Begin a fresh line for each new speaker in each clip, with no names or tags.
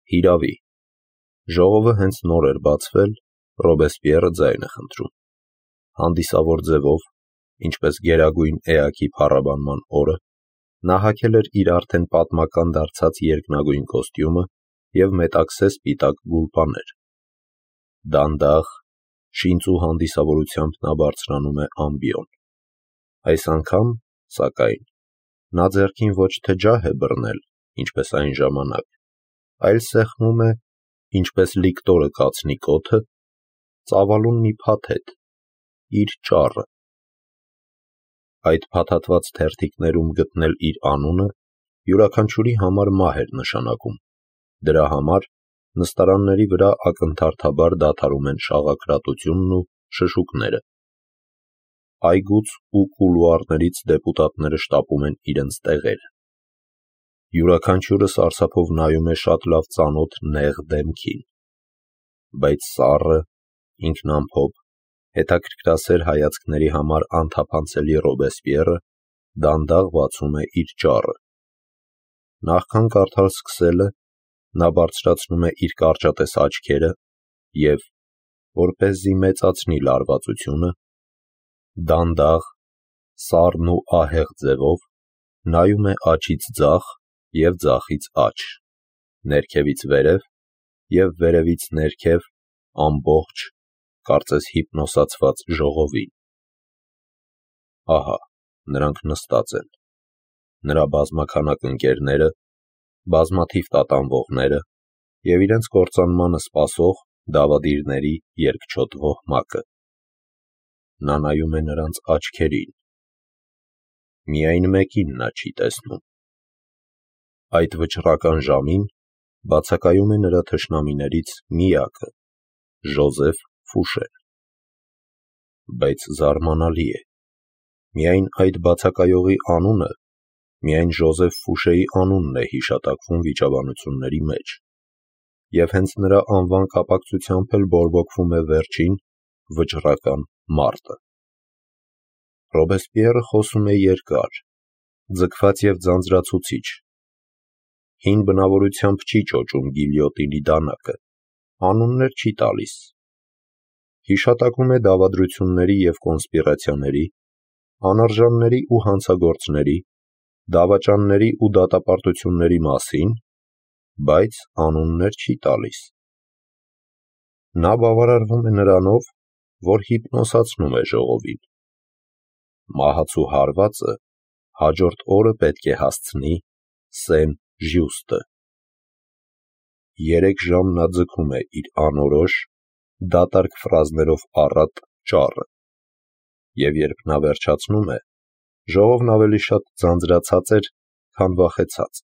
Հիրավի, ժողովը հենց նոր էր բացվել, Ռոբեսպիերը ձայն է խնդրում։ Հանդիսավոր ձևով, ինչպես գերագույն էակի փառաբանման օրը, նա հագել էր իր արդեն պատմական դարձած երկնագույն կոստյումը և մետաքսե սպիտակ գուլպաներ։ Դանդաղ, շինծու հանդիսավորությամբ նա բարձրանում է ամբիոն։ Այս անգամ, սակայն, նա ձեռքին ոչ թե ջահ է բռնել, ինչպես այն ժամանակ, այլ սեղմում է, ինչպես լիկտորը կացնի կոթը, ծավալուն մի փաթեթ, իր ճառը։ Այդ փաթաթված թերթիկներում գտնել իր անունը յուրաքանչյուրի համար մահ էր նշանակում, դրա համար նստարանների վրա ակնթարթաբար դադարում են շաղակրատությունն ու շշուկները։ Այգուց ու կուլուարներից դեպուտատները շտապում են իրենց տեղերը։ Յուրաքանչյուրը սարսափով նայում է շատ լավ ծանոթ նեղ դեմքին, բայց սառը, ինքնամփոփ, հետաքրքրասեր հայացքների համար անթափանցելի Ռոբեսպիերը դանդաղ բացում է իր ճառը։ Նախքան կարդալ սկսելը, նա բարձրացնում է իր կարճատես աչքերը և, որպեսզի մեծացնի լարվածությունը, դանդաղ, սառն ու ահեղ ձևով նայում է աջից ձախ և ձախից աջ, ներքևից վերև և վերևից ներքև ամբողջ, կարծես հիպնոսացված ժողովին։ Ահա, նրանք նստած են, նրա բազմաքանակ ընկերները, բազմաթիվ տատանվողները և իրենց կործանմանը սպասող դավադիրների երկչոտ ոհմակը։ Նա նայում է նրանց աչքերին։ Միայն մեկին նա չի տեսնում։ Այդ վճռական ժամին բացակայում է նրա թշնամիներից միակը՝ Ժոզեֆ Ֆուշեն։ Բայց զարմանալի է, միայն այդ բացակայողի անունը, միայն Ժոզեֆ Ֆուշեի անունն է հիշատակվում վիճաբանությունների մեջ, և հենց նրա անվան կապակցությամբ էլ բորբոքվում է վերջին, վճռական մարտը։ Ռոբեսպիերը խոսում է երկար, ձգված և ձանձրացուցիչ, հին բնավորությամբ չի ճոճում գիլյոտինի դանակը, անուններ չի տալիս, հիշատակում է դավադրությունների և կոնսպիրացիաների, անարժանների ու հանցագործների, դավաճանների ու դատապարտությունների մասին, բայց անուններ չի տալիս։ Նա բավարարվում է նրանով, որ հիպնոսացնում է ժողովին։ Մահացու հարվածը հաջորդ օրը պետք է հասցնի Սեն-Ժյուստը։ 3 ժամ նա ձգում է իր անորոշ, դատարկ ֆրազներով առատ ճառը, և երբ նա վերջացնում է, ժողովն ավելի շատ ձանձրացած էր, քան վախեցած։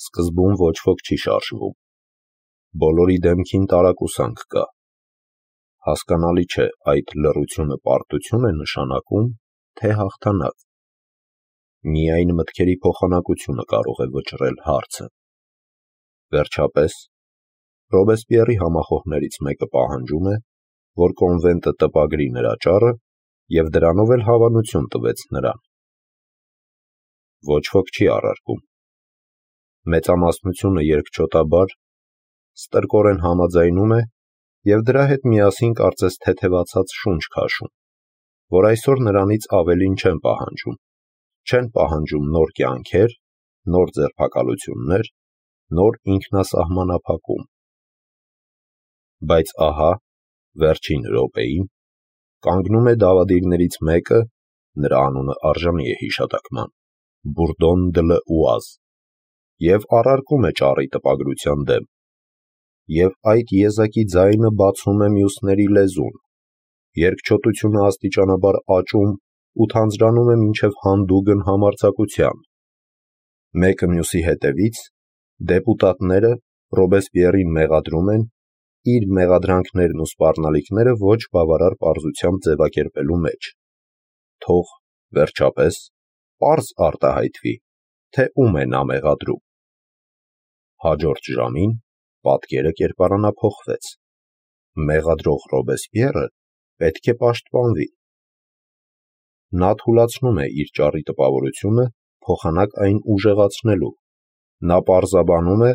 Սկզբում ոչ ոք չի շարժվում, բոլորի դեմքին տարակուսանք կա։ Հասկանալի չէ, այդ լռությունը պարտություն է նշանակում, թե հաղթանակ։ Միայն մտքերի փոխանակությունը կարող է վճռել հարցը։ Վերջապես, Ռոբեսպիերի համախոհներից մեկը պահանջում է, որ կոնվենտը տպագրի նրա ճառը և դրանով էլ հավանություն տվեց նրան։ Ոչ ոք չի առարկում։ Մեծամասնությունը երկչոտաբար, ստրկորեն համաձայնում է և դրա հետ միասին կարծես թեթևացած շունչ քաշում, որ այսօր նրանից ավելին չեն պահանջում, չեն պահանջում նոր կյանքեր, նոր ձերբակալություններ, նոր ինքնասահմանափակում։ Բայց ահա, վերջին րոպեին, կանգնում է դավադիրներից մեկը, նրա անունը արժանի է հիշատակման, Բուրդոն դը Լ'Ուազ, և առարկում է ճառի տպագրության դեմ, և այդ եզակի ձայնը բացում է մյուսների լեզուն, երկչոտությունը աստիճանաբար աճում ու թանձրանում է մինչև հանդուգն համարձակության։ Մեկը մյուսի հետևից, դեպուտատները Ռոբեսպիերին մեղադրում են իր մեղադրանքներն ու սպառնալիքները ոչ բավարար պարզությամբ ձևակերպելու մեջ։ Թող, վերջապես, պարզ արտահայտվի, թե ում է նա մեղադրում։ Հաջորդ ժամին պատկերը կերպարանափոխվեց։ Մեղադրող Ռոբեսպիերը պետք է պաշտպանվի։ Նա թուլացնում է իր ճառի տպավորությունը, փոխանակ այն ուժեղացնելու։ Նա պարզաբանում է,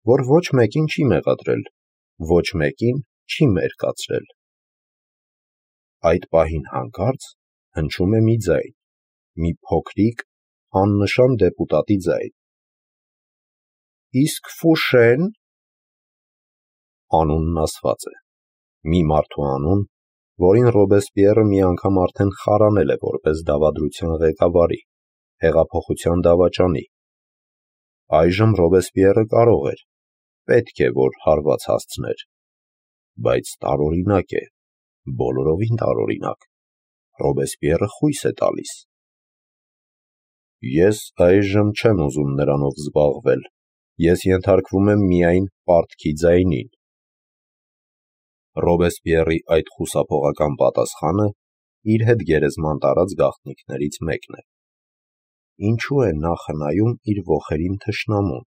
որ ոչ մեկին չի մեղադրել, ոչ մեկին չի մերկացրել։ Այդ պահին հանկարծ հնչում է մի ձայն, մի փոքրիկ, աննշան դեպուտատի ձայն. Իսկ Ֆուշեն… Անունն ասված է, մի մարդու անուն, որին Ռոբեսպիերը մի անգամ արդեն խարանել է որպես դավադրության ղեկավարի, հեղափոխության դավաճանի։ Այժմ Ռոբեսպիերը կարող էր, պետք է, որ հարված հասցներ, բայց տարօրինակ է, բոլորովին տարօրինակ, Ռոբեսպիերը խույս է տալիս։ Ես այժմ չեմ ուզում նրանով զբաղվել, ես ենթարկվում եմ միայն պարտքի ձայնին։ Ռոբեսպիերի այդ խուսափողական պատասխանը իր հետ գերեզման տարած գաղտնիքներից մեկն է։ Ինչու է նա խնայում իր ոխերին թշնամուն,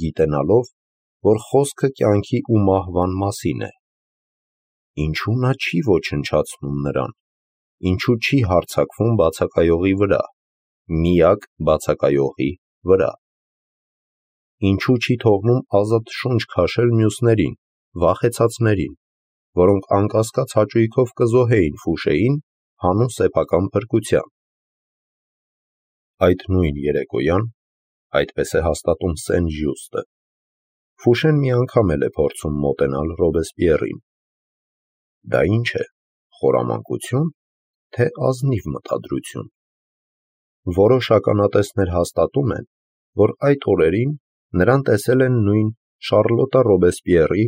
գիտենալով, որ խոսքը կյանքի ու մահվան մասին է։ Ինչու նա չի ոչնչացնում նրան, ինչու չի հարձակվում բացակայողի վրա, միակ բացակայողի վրա։ Ինչու չի թողնում ազատ շունչ քաշել մյուսներին, վախեցածներին, որոնք անկասկած հաճույքով կզոհեին Ֆուշեին հանուն սեփական փրկության։ Այդ նույն երեկոյան, այդպես է հաստատում Սեն-Ժյուստը, Ֆուշեն մի անգամ էլ է փորձում մոտենալ Ռոբեսպիերին։ Դա ինչ է, խորամանկություն, թե ազնիվ մտադրություն։ Որոշ ականատեսներ հաստատում են, որ այդ օրերին նրան տեսել են նույն Շարլոտա Ռոբեսպիերի,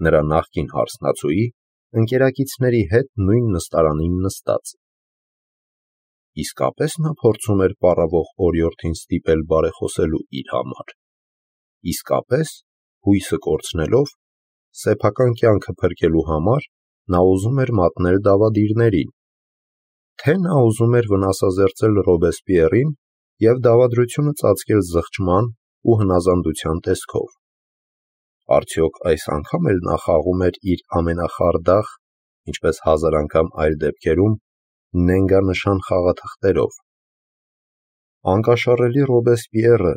նրա նախկին հարսնացուի, ընկերակիցների հետ նույն նստարանին նստած։ Իսկապես նա փորձում էր պառավող օրիորդին ստիպել բարեխոսելու իր համար։ Իսկապես, հույսը կորցնելով, սեփական կյանքը փրկելու համար նա ուզում էր մատնել դավադիրներին, թե նա ուզում էր վնասազերծել Ռոբեսպիերին և դավադրությունը ծածկել զղջման ու հնազանդության տեսքով։ Արդյոք այս անգամ էլ նա խաղում էր իր ամենախարդախ, ինչպես հազար անգամ այլ դեպքերում, նենգանշան խաղաթղթերով։ Անկաշառելի Ռոբեսպիերը,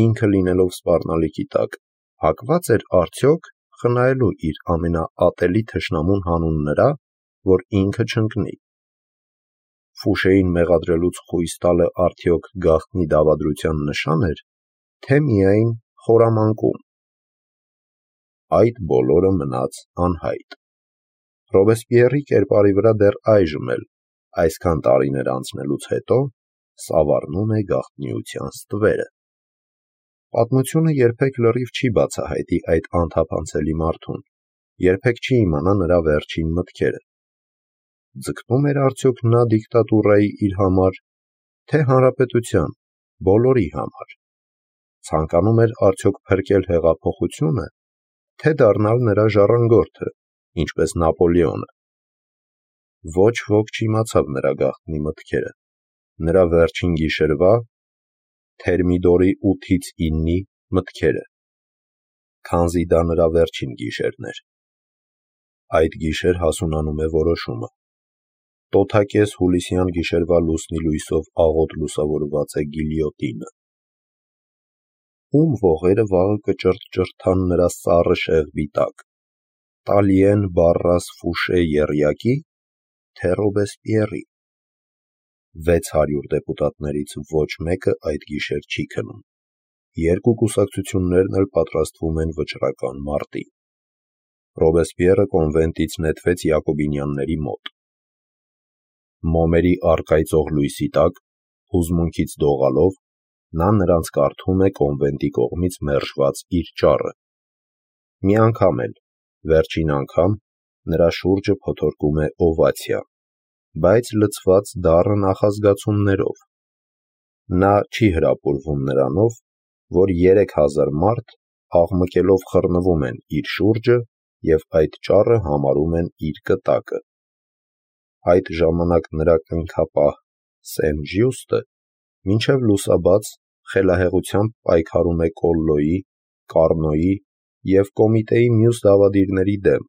ինքը լինելով սպառնալիքի տակ, հակված էր արդյոք խնայելու իր ամենաատելի թշնամուն հանուն նրա, որ ինքը չընկնի։ Ֆուշեին մեղադրելուց խույս տալը արդյոք գաղտնի դավադրության նշան էր, թե միայն խորամանկում։ Այդ բոլորը մնաց անհայտ։ Ռոբեսպիերի կերպարի վրա դեռ այժմ էլ, այսքան տարիներ անցնելուց հետո, սավառնում է գաղտնիության ստվերը։ Պատմությունը երբեք լրիվ չի բացահայտի այդ անթափանցելի մարդուն, երբեք չի իմանա նրա վերջին մտքերը։ Ձգտում էր արդյոք նա դիկտատուրայի իր համար, թե հանրապետության, բոլորի համար։ Ցանկանում էր արդյոք փրկել հեղափոխությունը, թե դառնալ նրա ժառանգորդը, ինչպես Նապոլեոնը։ Ոչ ոք չիմացավ նրա գաղտնի մտքերը, նրա վերջին գիշերվա, Թերմիդորի 8-ից 9-ի մտքերը, քանզի դա նրա վերջին գիշերն էր։ Այդ գիշեր հասունանում է որոշումը։ Տոթակես հուլիսյան գիշերվա լուսնի լույսով աղոտ լուսավորված է գիլյոտինը։ Ում ողերը վաղը կճրթճրթան նրա սառը շեղբի տակ, Տալիեն Բարրաս Ֆուշե եռյակի, թե Ռոբեսպիերի։ 600 դեպուտատներից ոչ մեկը այդ գիշեր չի քնում։ Երկու կուսակցություններն էլ պատրաստվում են վճռական մարտի։ Ռոբեսպիերը կոնվենտից նետվեց Յակոբինյանների մոտ։ Մոմերի առկայծող լույսի տակ, հուզմունքից դողալով, նա նրանց կարդում է կոնվենտի կողմից մերժված իր ճառը։ Մի անգամ էլ, վերջին անգամ, նրա շուրջը փոթորկում է օվացիա, բայց լցված դառը նախազգացումներով։ Նա չի հրապուրվում նրանով, որ 3000 մարդ աղմկելով խռնվում են իր շուրջը և այդ ճառը համարում են իր կտակը։ Այդ ժամանակ նրա կնքապահ Սեն-Ժյուստը մինչև լուսաբաց խելահեղությամբ պայքարում է Կոլլոյի, Կառնոյի և կոմիտեի մյուս դավադիրների դեմ,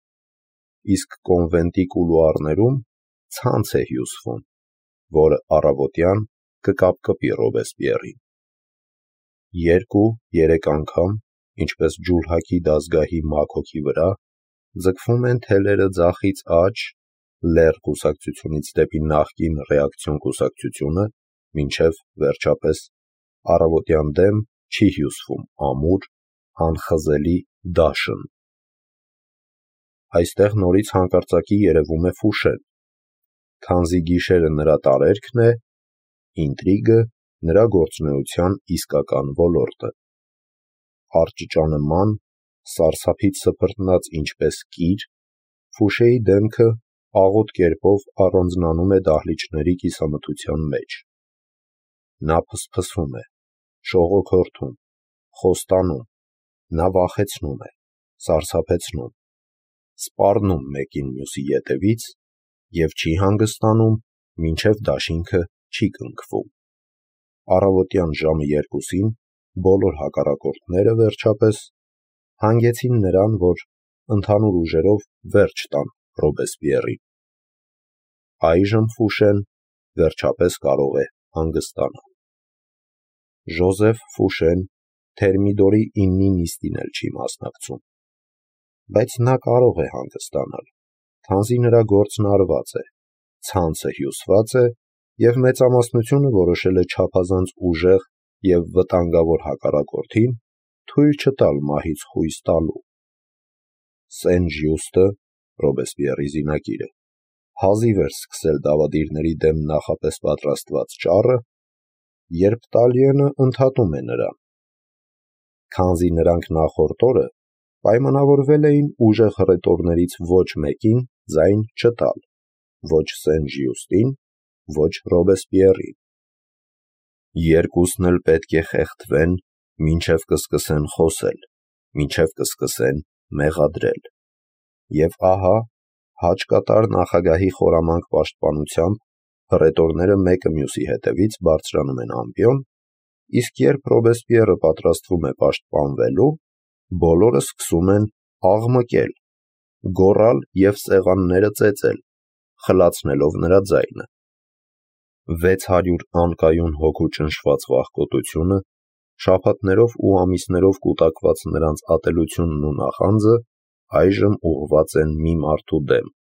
իսկ կոնվենտի կուլուարներում ցանց է հյուսվում, որը առավոտյան կկապկպի Ռոբեսպիերին։ 2-3 անգամ ինչպես ջուլհակի դազգահի մաքոքի վրա, ձգվում են թելերը ձախից աջ, լեռ կուսակցությունից դեպի նախկին ռեակցիոն կուսակցությունը, մինչև վերջապես առավոտյան դեմ չի հյուսվում ամուր, անխզելի դաշն։ Այստեղ նորից հանկարծակի երևում է Ֆուշեն, քանզի գիշերը նրա տարերքն է, ինտրիգը նրա գործունեության իսկական ոլորտը։ Արճճանման, սարսափից սփռտնած ինչպես կիր, Ֆուշեի դեմքը աղոտ կերպով առանձնանում է դահլիճների կիսամթության մեջ։ Նա փսփսում է, շողոքորթում, խոստանում, նա վախեցնում է, սարսափեցնում, սպառնում մեկին մյուսի ետևից և չի հանգստանում, մինչև դաշինքը չի կնքվում։ Առավոտյան ժամը 2-ին բոլոր հակառակորդները վերջապես հանգեցին նրան, որ ընդհանուր ուժերով վերջ տան Ռոբեսպիեռին։ Այժմ Ֆուշեն վերջապես կարող է հանգստանալ։ Ժոզեֆ Ֆուշեն Թերմիդորի 9-ի նիստին էլ չի մասնակցում, բայց նա կարող է հանգստանալ, քանզի նրա գործն արված է, ցանցը հյուսված է և մեծամասնությունը որոշել է չափազանց ուժեղ և վտանգավոր հակառակորդին թույլ չտալ մահից խույս տալու։ Սեն-Ժյուստը, Ռոբեսպիեռի զինակիրը, հազիվ էր սկսել դավադիրների դեմ նախապես պատրաստված ճառը, երբ Տալիենը ընդհատում է նրան։ Քանզի նրանք նախորդ օրը պայմանավորվել էին ուժեղ հռետորներից ոչ մեկին ձայն չտալ, ոչ Սեն-Ժյուստին, ոչ Ռոբեսպիեռին։ Երկուսն էլ պետք է խեղդվեն, մինչև կսկսեն խոսել, մինչև կսկսեն մեղադրել։ Եվ ահա, հաճկատար նախագահի խորամանկ պաշտպանությամբ հռետորները մեկը մյուսի հետևից բարձրանում են ամպիոն, իսկ երբ Ռոբեսպիեռը պատրաստվում է պաշտպանվելու, բոլորը սկսում են աղմկել, գոռալ և սեղանները ծեծել, խլացնելով նրա ձայնը։ 600 անկայուն հոգու ճնշված վախկոտությունը, շաբաթներով ու ամիսներով կուտակված նրանց ատելությունն ու նախանձը այժմ ուղղված են մի մարդու դեմ,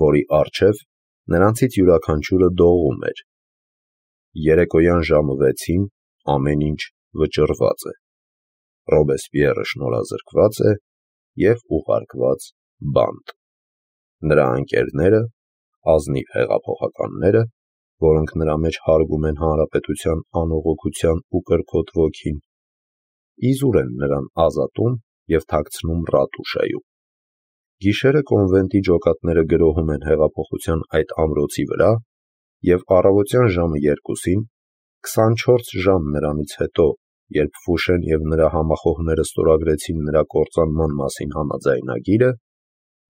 որի առջև նրանցից յուրաքանչյուրը դողում էր։ Երեկոյան ժամը 6-ին ամեն ինչ վճռված է։ Ռոբեսպիեռը շնորհազրկված է և ուղարկված բանտ։ Նրա ընկերները, ազնիվ հեղափոխականները, որոնք նրա մեջ հարգում են հանրապետության անողոքության ու կրքոտ ոգին, իզուր են նրան ազատում և թաքցնում ռատուշայում։ Գիշերը կոնվենտի ջոկատները գրոհում են հեղափոխության այդ ամրոցի վրա, և առավոտյան ժամը 2-ին, 24 ժամ նրանից հետո, երբ Ֆուշեն և նրա համախոհները ստորագրեցին նրա կործանման մասին համաձայնագիրը,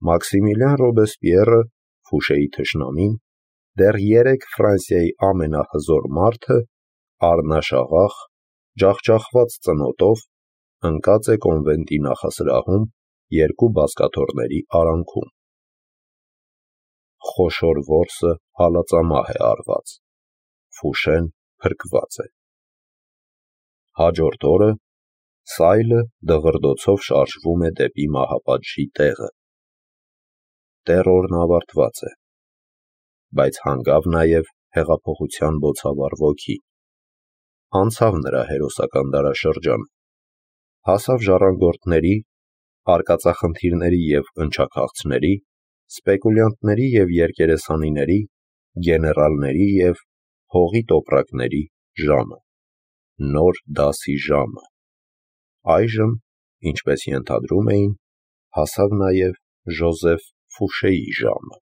Մաքսիմիլիան Ռոբեսպիեռը, Ֆուշեի թշնամին, դեռ 3 Ֆրանսիայի ամենահզոր մարդը, առնաշաղախ, ջախջախված ծնոտով, ընկած է կոնվենտի նախասրահում երկու բազկաթոռների արանքում։ Խոշոր որսը հալածամահ է արված։ Ֆուշեն փրկված է։ Հաջորդ օրը սայլը դղրդոցով շարժվում է դեպի մահապատժի տեղը։ Տերորն ավարտված է, բայց հանգավ նաև հեղափոխության բոցավառ ոգին։ Անցավ նրա հերոսական դարաշրջանը, հասավ ժառանգորդների, արկածախնդիրների և ընչաքաղցների, սպեկուլյանտների և երկերեսանիների, գեներալների և հողի տոպրակների ժամը, նոր դասի ժամը։ Այժմ, ինչպես ենթադրում էին, հասավ նաև Ժոզեֆ Ֆուշեի ժամը։